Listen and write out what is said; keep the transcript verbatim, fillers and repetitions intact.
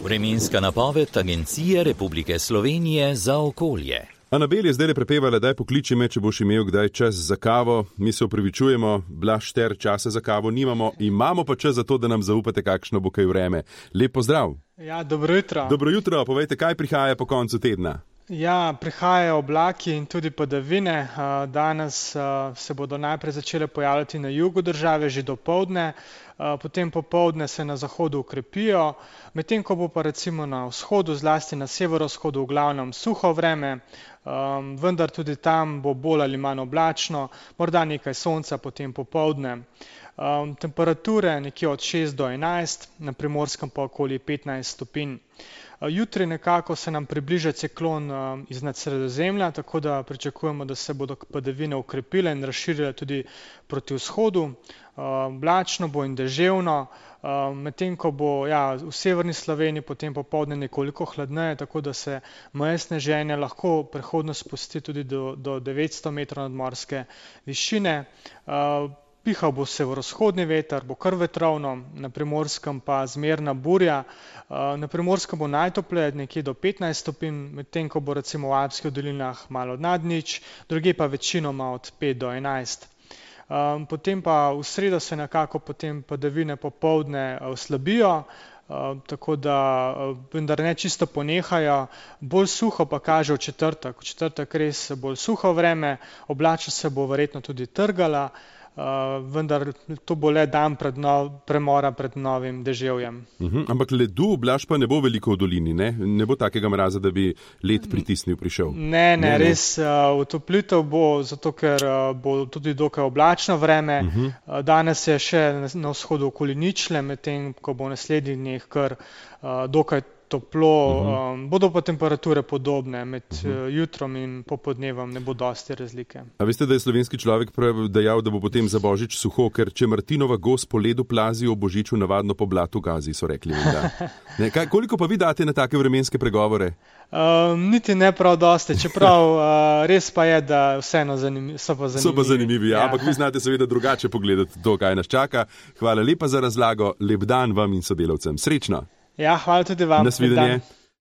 Vremenska napoved Agencije Republike Slovenije za okolje. Anabel je zdaj prepevala, daj pokliči me, če boš imel kdaj čas za kavo. Mi se opravičujemo, Blaž ter časa za kavo nimamo, imamo pa čas za to, da nam zaupate, kakšno bo kaj vreme. Lep pozdrav. Ja, dobro jutro. Dobro jutro, povejte, kaj prihaja po koncu tedna? Ja, prihajajo oblaki in tudi padavine. Danes se bodo najprej začele pojavljati na jugu države že dopoldne, potem popoldne se na zahodu ukrepijo, medtem ko bo pa recimo na vzhodu, zlasti na severovzhodu v glavnem suho vreme, vendar tudi tam bo bolj ali manj oblačno, morda nekaj sonca potem popoldne. Temperature nekje od šest do enajst, na Primorskem pa okoli petnajst stopinj. Jutri nekako se nam približa ciklon iznad Sredozemlja, tako da pričakujemo, da se bodo padavine ukrepile in razširile tudi proti vzhodu. Oblačno bo in deževno, medtem ko bo ja, v severni Sloveniji potem popoldne nekoliko hladneje, tako da se meje sneženja lahko prehodno spusti tudi do, do devetsto metrov nadmorske višine. Pihal bo severovzhodni veter, bo kar vetrovno, na Primorskem pa zmerna burja. Na Primorskem bo najtopleje nekje do petnajst stopinj, medtem ko bo recimo v Alpskih dolinah malo nad nič, drugje pa večinoma od pet do enajst. Potem pa v sredo se nekako potem padavine popoldne oslabijo, tako da vendar ne čisto ponehajo, bolj suho pa kaže v četrtek. V četrtek res bolj suho vreme, oblačnost se bo verjetno tudi trgala, Uh, vendar to bo le dan pred nov, premora pred novim deževjem. Uh-huh. Ampak ledu, Blaž, pa ne bo veliko v dolini, ne? Ne bo takega mraza, da bi led pritisnil prišel. Ne, ne, ne res uh, utoplitev bo, zato ker uh, bo tudi dokaj oblačno vreme. Uh-huh. Uh, danes je še na, na vzhodu okoli ničle, medtem ko bo v naslednjih dneh kar uh, dokaj toplo, uh-huh. um, bodo pa temperature podobne, med uh-huh. jutrom in popodnevom ne bo dosti razlike. A veste, da je slovenski človek dejal, da bo potem za Božič suho, ker če Martinova gos po ledu plazi, o Božiču navadno po blatu gazi, so rekli. Ne, kaj, koliko pa vi date na take vremenske pregovore? Um, niti ne prav dosti, čeprav uh, res pa je, da vseeno zanim, so pa zanimivi. So pa zanimivi, ja. Ampak vi znate seveda drugače pogledati to, kaj nas čaka. Hvala lepa za razlago, lep dan vam in sodelavcem. Srečno! Ja, hvala tudi vam. Nasvidenje.